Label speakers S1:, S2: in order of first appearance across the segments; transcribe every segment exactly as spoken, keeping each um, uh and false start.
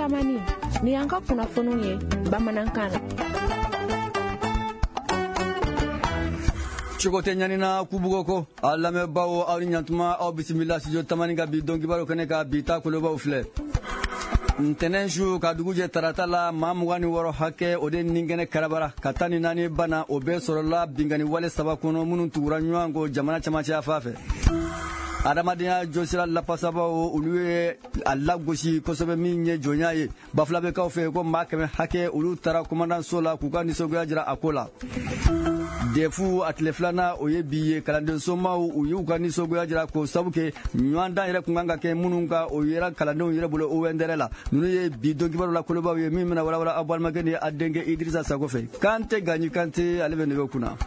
S1: Tamani, ni y'an ka kunnafoniw ye bamanankan na.
S2: Cogo tɛ ɲanina kubugo ko a lamɛnbaaw, aw ni ɲantuma, aw bisimila studio Tamani ka bi don kibaru kɛnɛ ka bi ta kolobaw filɛ. Ntɛnɛn su ka dugu jɛ tarata la, maa mugan ni wɔɔrɔ hakɛ o de nin kɛnɛ karabara ka tan ni naani bana, o bɛɛ sɔrɔla binkanni wale saba kɔnɔ minnu tugura ɲɔgɔn kɔ jamana camancɛya fan fɛ. Adamadenya jɔsira lafasabaw, olu ye a lagosi kosɛbɛ min ye jɔnya ye Bafulabɛkaw fɛ, ko maa kɛmɛ hakɛ olu taara kɔmandanso la k'u ka nisɔngoya jira a ko la. Defu a tile filanan, o ye bi ye, kalanden somaw u y'u ka nisɔngoya jira k'o sabu kɛ ɲɔgɔndan yɛrɛ kun kan ka kɛ minnu kan, o yera kalandenw yɛrɛ bolo o wɛndɛrɛ la. Ninnu ye bi don kibaru la kolobaw ye min bɛna walawala aw balimakɛ ni a denkɛ Idirisa Sako fɛ. Kante Gaɲi Kante, ale bɛ nɛgɛ kunna.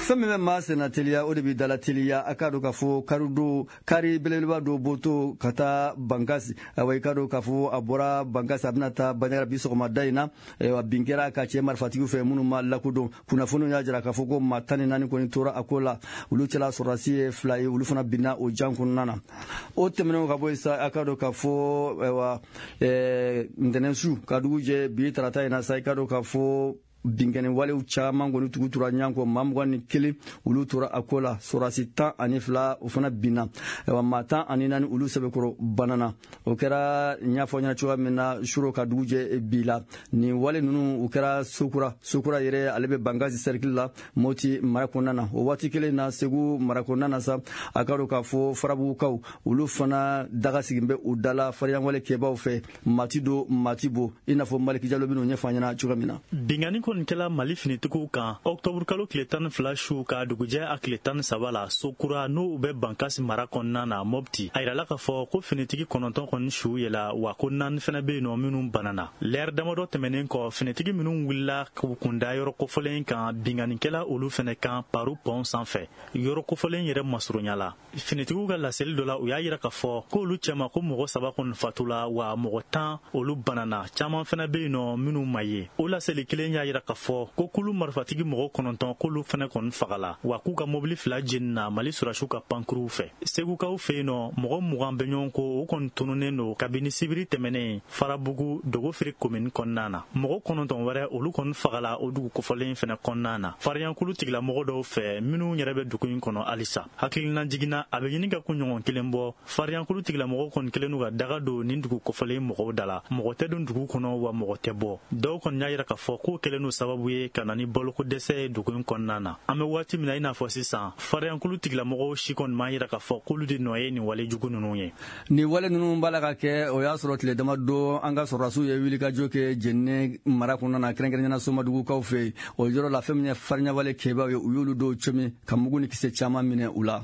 S2: Fɛn min bɛ maa senna teliya, o de bɛ dala teliya. A k'a dɔn k'a fɔ karido kari belebeleba dɔ bɔtɔ ka taa Bankasi, ayiwa, i k'a dɔn k'a fɔ a bɔra Bankasi, a bɛna taa Banjagara bi sɔgɔmada in na. Ayiwa, bin kɛra ka cɛ marifatigiw fɛ minnu ma lakodɔn. Kunnafoniw y'a jira k'a fɔ ko maa tan ni naani kɔni tora a ko la, olu cɛla sɔrɔdasi ye fila ye, olu fana binna o jan kɔnɔna na. O tɛmɛnen ka bɔ yen sa, a k'a dɔn k'a fɔ, ayiwa, ɛɛ ntɛnɛn su ka dugu jɛ bi tarata in na sa, i k'a dɔn k'a fɔ binkɛnɛ walew caman kɔni tugu tora ɲɔgɔn kɔ, maa mugan ni kelen olu tora a ko la, sɔrɔdasi tan ani fila o fana binna, ayiwa, maa tan ani naani olu sɛbɛkɔrɔ banana. O kɛra n y'a fɔ ɲɛna cogoya min na, suro ka dugu jɛ bi la. Nin wale ninnu, u kɛra Sokura. Sokura yɛrɛ, ale bɛ Bankasi cercle la, Moti mara kɔnɔna na. O waati kelen na, Segu mara kɔnɔna na sa, a ka dɔn k'a fɔ Farabugukaw, olu fana daga sigin bɛ u da la fariyanwale kɛbaw fɛ, mati do mati bo, i n'a fɔ Maliki Jalo bɛn'o ɲɛfɔ an ɲɛna cogoya min na.
S3: Binkanni kɔni kɛla Mali finitigiw kan ɔktɔburu kalo tile tan ni fila su ka dugujɛ a tile tan ni saba la, Sokura, n'o bɛ Bankasi mara kɔnɔna na, Mɔpti. A yirala k'a fɔ ko finitigi kɔnɔntɔn kɔni su yɛla, wa ko naani fɛnɛ bɛ yen nɔ minnu banana. Lɛrɛ damadɔ tɛmɛnen kɔ, finitigi minnu wulila k'u kunda yɔrɔ kofɔlen kan, binkannikɛla olu fɛnɛ kan paru pɔn sanfɛ yɔrɔ kofɔlen yɛrɛ masurunya la. Finitigiw ka laseli dɔ la, u y'a yira k'a fɔ k'olu cɛma ko mɔgɔ saba kɔni fatula, wa mɔgɔ tan olu banana, caman fɛnɛ bɛ yen nɔ minnu ma ye. O laseli kelen y'a yira k'a fɔ ko kulu marifatigi mɔgɔ kɔnɔntɔn k'olu fɛnɛ kɔni fagala, wa k'u ka mobili fila jenina Mali sɔrɔdasiw ka pankuruw fɛ. Segukaw fɛ yen nɔ, mɔgɔ mugan bɛ ɲɔgɔn ko o kɔni tununnen don kabini sibiri tɛmɛnen Farabugu Dogofiri komini kɔnɔna na. Mɔgɔ kɔnɔntɔn wɛrɛ olu kɔni fagala o dugu kofɔlen fɛnɛ kɔnɔna na fariyankulu tigilamɔgɔ dɔw fɛ minnu yɛrɛ bɛ dugu in kɔnɔ halisa. Hakilina jiginna, a bɛ ɲini ka kunɲɔgɔn kelen bɔ, fariyankulu tigilamɔgɔw kɔni kelen n'u ka daga don nin dugu kofɔlen mɔgɔw da la. Mɔgɔ tɛ don dugu kɔnɔ, wa mɔgɔ tɛ bɔ. Dɔw kɔni y'a yira k'a fɔ k'o kɛlen n'o sababu ye ka na ni baloko dɛsɛ ye dugu in kɔnɔna na. An bɛ waati min na i n'a fɔ sisan, fariyankulu tigilamɔgɔw si kɔni m'a yira k'a fɔ k'olu de nɔ ye nin wale jugu ninnu ye.
S2: Nin wale ninnu b'a la ka kɛ, o y'a sɔrɔ tile damadɔ an ka sɔrɔdasiw ye wulikajɔ kɛ Jɛnɛ mara kɔnɔna na, kɛrɛnkɛrɛnnenya la Somadugukaw fɛ yen. O yɔrɔ la, fɛn min ye farinyawale kɛbaaw ye, u y'olu dɔw cɛmi ka mugu ni kisɛ caman minɛ u la.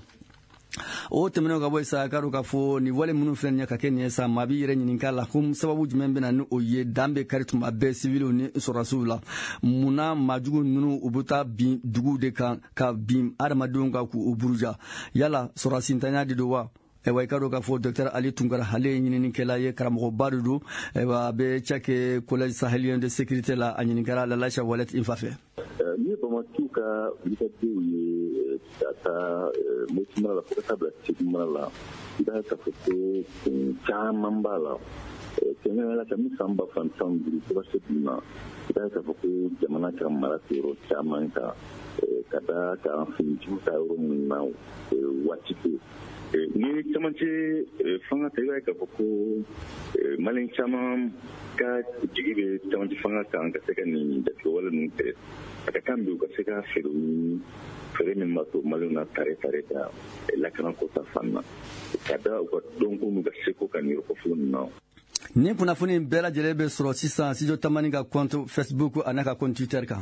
S2: O tɛmɛnen ka bɔ yen sa, k'a dɔn k'a fɔ nin wale minnu filɛ nin ye ka kɛ nin ye sa, maa b'i yɛrɛ ɲininka la ko sababu jumɛn bɛ na ni o ye dan bɛ kari tuma bɛɛ siviliw ni sɔrɔdasiw la. Munna maajugu ninnu u bɛ taa bin duguw de kan ka bin adamadenw kan k'u buruja? Yala sɔrɔdasintanya de don wa? Ayiwa, i ka dɔn k'a fɔ docteur Ali Tunkara, ale ye ɲininikɛla ye, karamɔgɔba de don, ayiwa, a bɛ cakɛ Collège sahelien de sécurité la. A ɲininkara Lalasha Walet Infa fɛ.
S4: Ni ye bamatiw ka wulikajɔw ye ka taa Moti mara la fo ka taa bila Segu mara la, i b'a ye k'a fɔ ko kun caman b'a la. Kɛrɛnkɛrɛnnenya la, kabini san ba fila ni tan ni duuru fo ka se bi ma, i b'a ye k'a fɔ ko jamana ka mara tɛ yɔrɔ caman kan, ka da kan finitigiw ta yɔrɔ minnu na waati tɛ. Ni camancɛ fanga ta, i b'a ye k'a fɔ ko Maliyɛn caman ka jigi bɛ camancɛ fanga kan ka se ka nin jatigɛwale ninnu kɛlɛ. A ka kan bi u ka se ka fɛɛrɛ ɲini, fɛɛrɛ min b'a to Maliyɛnw na tare tare ka lakanako ta fan na, ka da u ka dɔnko n'u ka seko kan nin yɔrɔ kofɔlen ninnu na.
S2: Nin kunnafoni bɛɛ lajɛlen bɛ sɔrɔ sisan Studio Tamani ka compte Facebook ani ka compte Twitter kan.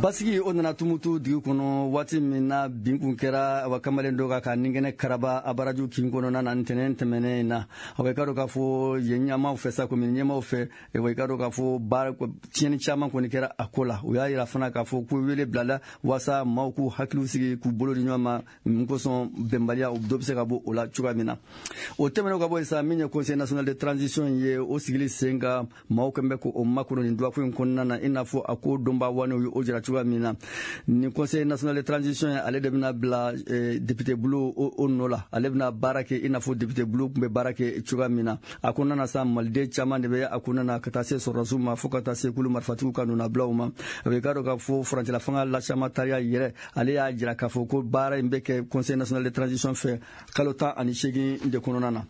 S2: Basigi o nana Tumutu dugu kɔnɔ waati min na bin kun kɛra wa kamalen dɔ kan ka ninkɛnɛ karaba Abaraju kin kɔnɔna na ntɛnɛn tɛmɛnen in na. Awa, i ka dɔn k'a fɔ yen ɲɛmaaw fɛ sa, komini ɲɛmaaw fɛ, wa i ka dɔn k'a fɔ baara tiɲɛni caman kɔni kɛra a ko la. U y'a yira fana k'a fɔ ko wele bilala waasa maaw k'u hakiliw sigi, k'u bolo di ɲɔgɔn ma, mun kosɔn bɛnbaliya dɔ bɛ se ka bɔ o la cogoya min na. O tɛmɛnen ka bɔ yen sa, min ye Conseil national de transition ye, o sigili sen kan, maaw kɛn bɛ k'o makɔnɔ nin dɔgɔkun in kɔnɔna na, i n'a fɔ a ko donba wanew ye o jira. cogoya min na. Nin Conseil national de transition ye, ale de bɛna bila député bulon o nɔ la, ale bɛna baara kɛ i n'a fɔ député bulon tun bɛ baara kɛ cogoya min na. A kɔnɔna na sa, maliden caman de bɛ a kɔnɔna na, ka taa se sɔrɔdasiw ma, fo ka taa se kulu marifatigiw ka nɔnabilaw ma. A bɛ k'a dɔn k'a fɔ furancɛla fanga Lasiama Tariya yɛrɛ, ale y'a jira k'a fɔ ko baara in bɛ kɛ Conseil national de transition fɛ kalo tan ani seegin de kɔnɔna na.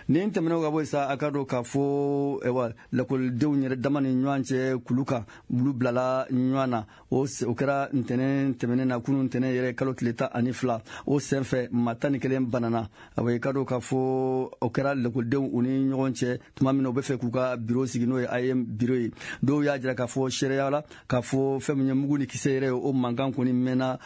S2: Nin tɛmɛnɛw ka bɔ yen sa, a ka dɔn k'a fɔ ayiwa, lakɔlidenw yɛrɛ dama ni ɲɔgɔn cɛ, kulu kan olu bilala ɲɔgɔn na. O o kɛra ntɛnɛn tɛmɛnen na, kunun ntɛnɛn yɛrɛ, kalo tile tan ani fila. O senfɛ, maa tan ni kelen banana. Awa, i ka dɔn k'a fɔ o kɛra lakɔlidenw u ni ɲɔgɔn cɛ tuma min na u bɛ fɛ k'u ka biro sigi, n'o ye A E M biro ye. Dɔw y'a jira k'a fɔ seereya la k'a fɔ fɛn min ye mugu ni kisɛ yɛrɛ ye, o mankan kɔni mɛnna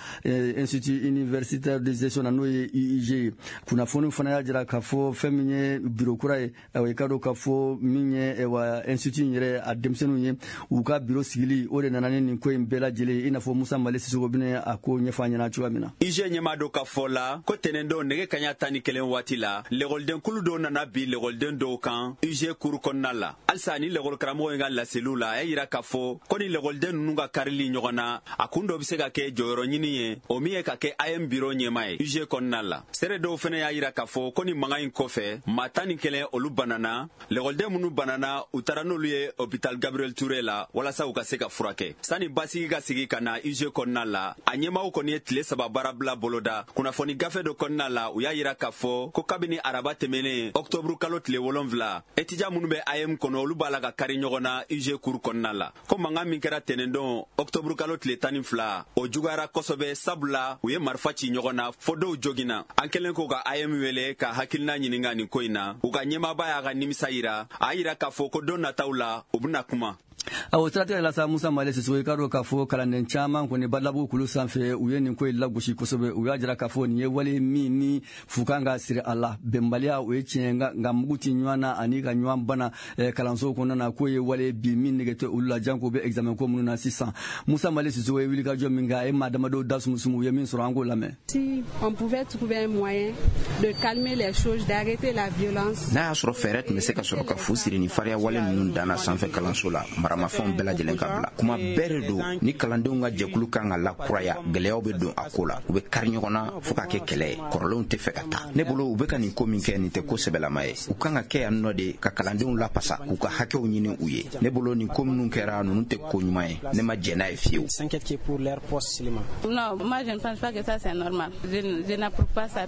S2: Institut universitaire de gestion na, n'o ye I U G ye. Kunnafoni fana y'a jira k'a fɔ fɛn min ye biro kura ye, ayiwa, i ka dɔn k'a fɔ min ye, ayiwa, institut in yɛrɛ a denmisɛnninw ye u ka biro sigili, o de nana ni nin ko in bɛɛ lajɛlen, i n'a fɔ Musa Mali Sisoko bɛna a ko ɲɛfɔ an ɲɛna cogoya min na.
S5: I U G ɲɛmaa dɔ ka fɔ la ko tɛnɛndon nɛgɛ kaɲa tan ni kelen waati la, lɛkɔlidenkulu dɔw nana bi lɛkɔliden dɔw kan U G kuru kɔnɔna la. Halisa ni lɛkɔlikaramɔgɔ in ka laseliw la, a y'a yira k'a fɔ ko ni lɛkɔliden ninnu ka karili ɲɔgɔn na, a kun dɔ be se ka kɛ jɔyɔrɔ ɲini ye, o min ye ka kɛ A E M biro ɲɛma ye U G kɔnɔna la. Seere dɔw fɛnɛ y'a yira k'a fɔ ko ni mankan in kɔfɛ, maa tan ni kelen olu banana. Lɛkɔliden minnu banana, u taara n'olu ye hôpital Gabriel Touré la walasa u ka se ka furakɛ. Sani basigi ka sigi ka na U G kɔnɔna la, a ɲɛmaw kɔni ye tile saba baarabila boloda. Kunnafoni gafe dɔ kɔnɔna la, u y'a yira k'a fɔ ko kabini araba tɛmɛnen, ɔktɔburu kalo tile wolonfila, étudiant minnu bɛ A E M kɔnɔ, olu b'a la ka kari ɲɔgɔn na U G kuru kɔnɔna la. Ko mankan min kɛra tɛnɛndon, ɔktɔburu kalo tile tan ni fila, o juguyara kosɛbɛ, sabula u ye marifa ci ɲɔgɔn na fo dɔw joginna. An kɛlen k'o ka A E M wele ka hakilina ɲininga nin ko in na, u ka ɲɛmaaba y'a ka nimisa yira. A yira k'a fɔ ko don nataw la, u bena kuma.
S2: Awo siratigɛ la sa, Musa Male Sisoko, i ka dɔn k'a fɔ kalanden caman kɔni Badalabugu kulu sanfɛ, u ye nin ko in lagosi kosɛbɛ. U y'a jira k'a fɔ nin ye wale min ni fu kan ka siri a la. Bɛnbaliya, o ye tiɲɛ, nka mugu ti ɲɔgɔn na ani ka ɲɔgɔn bana kalanso kɔnɔna na, k'o ye wale bi min nege tɛ olu la, janko bɛ examen ko minnu na sisan. Musa Male Sisoko ye wulikajɔ min kɛ, a ye maa damadɔw da sumusumu, u ye min sɔrɔ, an k'o lamɛn.
S6: Si on pouvait trouver un moyen de calmer les choses, d'arrêter la violence.
S7: N'a y'a sɔrɔ fɛɛrɛ tun bɛ se ka sɔrɔ ka fu siri ni fariya wale ninnu danna sanfɛ kalanso la, maramafɛnw bɛɛ lajɛlen ka bila. Kuma bɛɛ de don ni kalandenw ka jɛkulu kan ka lakuraya, gɛlɛyaw bɛ don a ko la, u bɛ kari ɲɔgɔn na fɔɔ ka kɛ kɛlɛ ye. Kɔrɔlenw tɛ fɛ ka taa. Ne bolo, u bɛ ka nin ko min kɛ, nin tɛ ko sɛbɛlama ye. U kan ka kɛ yan nɔ de ka kalandenw lapasa, k'u ka hakɛw ɲini u ye. Ne bolo, nin ko minnu kɛra ninnu tɛ ko ɲuman ye, ne ma jɛn n'a ye fiyewu.
S8: Non, moi je ne pense pas que ça c'est normal. Je, je n'approuve pas ça.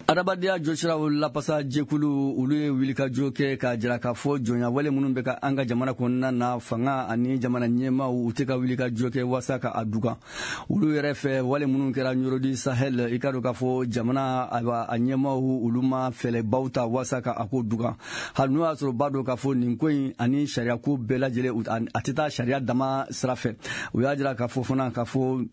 S2: Adamadenya jɔsiraw lapasa jɛkulu, olu ye wulikajɔ kɛ k'a jira k'a fɔ jɔnya wale minnu bɛ ka an ka jamana kɔnɔna na, fanga ani jamana ɲɛmaaw, u tɛ ka wulikajɔ kɛ waasa ka a dugan. Olu yɛrɛ fɛ, wale minnu kɛra Nioro du Sahel, i ka dɔn k'a fɔ jamana a ɲɛmaaw, olu ma fɛɛrɛbaw ta waasa ka a ko dugan, hali n'o y'a sɔrɔ b'a dɔn k'a fɔ nin ko in ani sariya ko bɛɛ lajɛlen, a tɛ taa sariya dama sira fɛ. U y'a jira k'a fɔ fana k'a fɔ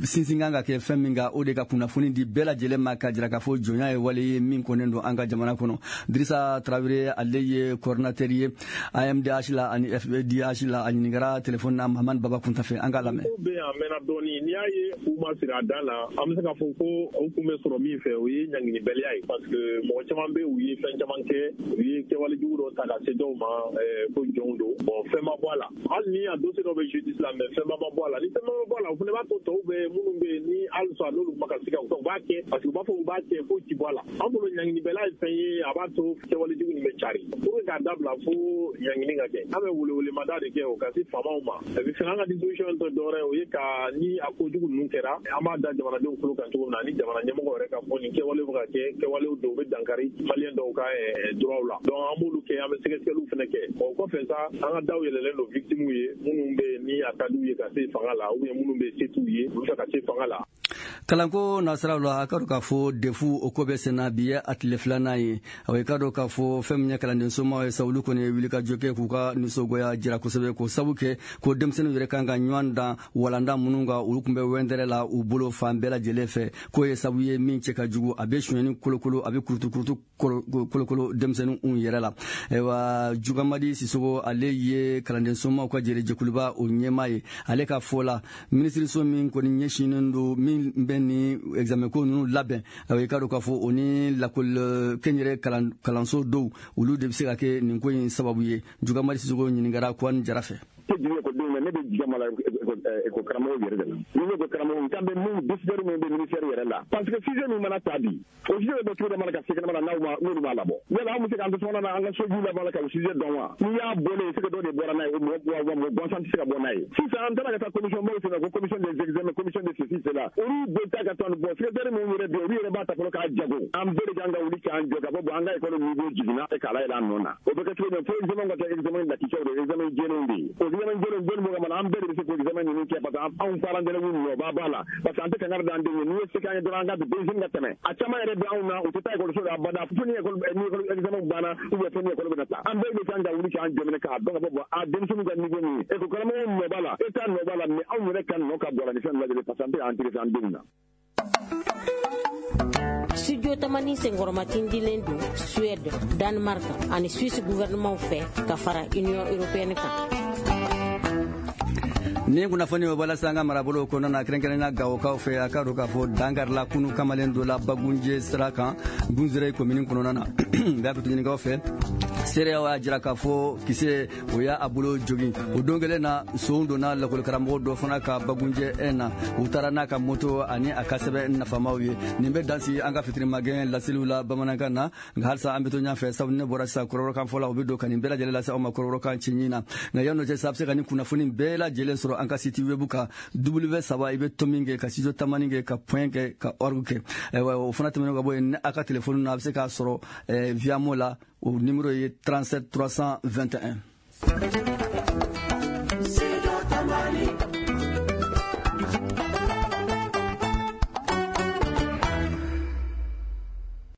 S2: sinsin kan ka kɛ fɛn min kan, o de ka kunnafoni di bɛɛ lajɛlen ma, k'a jira k'a fɔ jɔnya ye wale ye min kɔnnen don an ka jamana kɔnɔ. Dirisa Tarawele, ale ye coordinateur ye A M D H la ani F D H la. A ɲininkara téléphone na Mahamani Baba Kunta fɛ, an k'a lamɛn.
S9: Ko bɛ yan a mɛnna dɔɔni. N'i y'a ye u ma siri a dan na, an bɛ se k'a fɔ ko o kun bɛ sɔrɔ min fɛ, o ye ɲanginibaliya ye, parce que mɔgɔ caman bɛ, u ye fɛn caman kɛ, u ye kɛwale jugu dɔ ta ka se dɔw ma ko jɔnw don. Bon, fɛn ma bɔ a la, hali ni a dossier dɔ bɛ justice la, mais fɛn ma bɔ a la. Ni fɛn ma bɔ a la, o fana b'a to tɔw bɛ minnu bɛ yen ni halisa n'olu ma ka se ka u b'a kɛ, parce que u b'a fɔ u b'a kɛ foyi ti bɔ a la. An bolo, ɲanginibɛla ye fɛn ye a b'a to kɛwale jugu nin bɛ cari. Pour que k'a dabila, fo ɲangini ka kɛ. An bɛ welewelemada de kɛ o ka se faamaw ma. Et puis fɛnɛ, an ka disposition tɛ dɔwɛrɛ ye, o ye ka ni a kojugu ninnu kɛra, an b'a da jamanadenw tulo kan cogo min na, ni jamana ɲɛmɔgɔ yɛrɛ ka fɔ nin kɛwalew bɛ ka kɛ, kɛwalew dɔw bɛ dankari maliyɛn dɔw ka droit la. Donc an b'olu kɛ, an bɛ sɛgɛsɛgɛliw fɛnɛ kɛ. O kɔfɛ sa, an ka daw yɛlɛlen don victimes ye minnu bɛ yen ni a ka d'u ye ka se fanga la, ou bien minnu bɛ se t'u ye, olu fɛ ka se fanga la.
S2: Kalanko nasiraw la, a ka dɔn k'a fɔ D E F o ko bɛ senna, bi ye a tile filanan ye. Awa, i ka dɔn k'a fɔ fɛn min ye kalanden somaw ye sa, olu kɔni ye wulikajɔ kɛ k'u ka nisɔngoya jira kosɛbɛ, k'o sabu kɛ ko denmisɛnninw yɛrɛ kan ka ɲɔgɔn dan walanda minnu kan, olu tun bɛ wɛndɛrɛ la u bolo fan bɛɛ lajɛlen fɛ, k'o ye sabu ye min cɛ ka jugu, a bɛ sonyɛni kolokolo, a bɛ kurutukurutu kolokolo denmisɛnninw yɛrɛ la. Ayiwa, Jugamadi Sisogo, ale ye kalanden somaw ka jɛrɛjɛkuluba o ɲɛmaa ye. Ale ka fɔ la, minisiriso min kɔni ɲɛsinnen don min bɛ ni examen ko ninnu labɛn, ayiwa, i ka dɔn k'a fɔ o ni lakɔli kɛnyɛrɛ kalanso dɔw, olu de bɛ se ka kɛ nin ko in sababu ye. Jugamadi Sisogo ɲininkara Kuwani Jara fɛ.
S4: Tɛ jigin ekɔlidenw na, ne bɛ jigin ma la. école karamɔgɔw yɛrɛ de la. Ni ko karamɔgɔw n kan bɛ mun décideur min bɛ ministère yɛrɛ la, parce que sujet min mana ta bi, o sujet bɛ bɔ cogo dɔ mana ka se kɛnɛma la, n'aw ma n'olu b'a labɔ, yala anw bɛ se k'an to sokɔnɔ na an ka sojiw labɔ la ka o sujet dɔn wa? N'i y'a bɔlen ye, c'est que dɔ de bɔra n'a ye, o mɔgɔ wa mɔgɔ gansan tɛ se ka bɔ n'a ye. Sisan an taara ka taa commission baw senna ko commission des examens, commission de ceci cela, olu bɛ taa ka taa bɔ secrétaire minnu yɛrɛ bɛ yen, olu yɛrɛ b'a ta fɔlɔ k'a jago. An bɛɛ de kan ka wuli k'an jɔ k'a fɔ bon, an ka école niveau jiginna e k'a layɛlɛ an nɔ na. O bɛ kɛ cogo min, fo examen ka kɛ examen lakicɛw de, examen jɛlenw de ye. O examen jɛlenw jɔnni b'o kama na? An bɛɛ de bɛ se k'o examen ninnu kɛ, parce que anw parents d'élèves nɔ b'a b'a la, parce que an tɛ kangari d'an denw ye. N'i ye se k'an ye dɔrɔn, an ka denmisɛnnin ka tɛmɛ. A caman yɛrɛ bɛ anw na, u tɛ taa école so la abada fo ni école ni école examen banna ou bien fo ni école bɛna taa. An bɛɛ de kan ka wuli k'an jɔ minɛ k'a dɔn k'a fɔ bon, a denmisɛnninw ka niveau min ye, école karamɔgɔw nɔ b'a la, État nɔ b'a la, mais anw yɛrɛ ka nɔ ka bɔ a la ni fɛn lajɛlen, parce que an tɛ k'an intéressé an denw na.
S10: Studio Tamani senkɔrɔmatindilen don Suède, Danemark ani Suisse gouvernement fɛ ka fara Union européenne kan.
S2: Ni kunnafoni o bɔla sisan an ka marabolo kɔnɔna na, kɛrɛnkɛrɛnnenya Gawokaw fɛ, a ka dɔn k'a fɔ dankarila kunu kamalen dɔ la Bagunje sira kan, Gunzere komini kɔnɔna na. N b'a to ɲininkaw fɛ, seereyaw y'a jira k'a fɔ kisɛ o y'a bolo jogin. O don kelen na, son donna lakɔlikaramɔgɔ dɔ fana ka Bagunjɛ un na, u taara n'a ka moto ani a ka sɛbɛn nafamaw ye. Nin bɛ dan sigi an ka fitirimagɛn laseliw la bamanankan na. Nka halisa an bɛ to ɲɛfɛ, sabu ne bɔra sisan kɔrɔbɔrɔkan fɔ la, u bɛ don ka nin bɛɛ lajɛlen lase aw ma kɔrɔbɔrɔkan cɛɲi na. Nka yan'o cɛ sa, a bɛ se ka nin kunnafoni bɛɛ lajɛlen sɔrɔ an ka site web kan, W saba i bɛ to min kɛ ka studio tamani kɛ ka point kɛ ka org kɛ. Ayiwa, o fana tɛmɛnen ka bɔ yen, ni a ka telefɔni na, a bɛ se k'a sɔrɔ Viamo la, o numéro ye trente-sept trois cent vingt et un.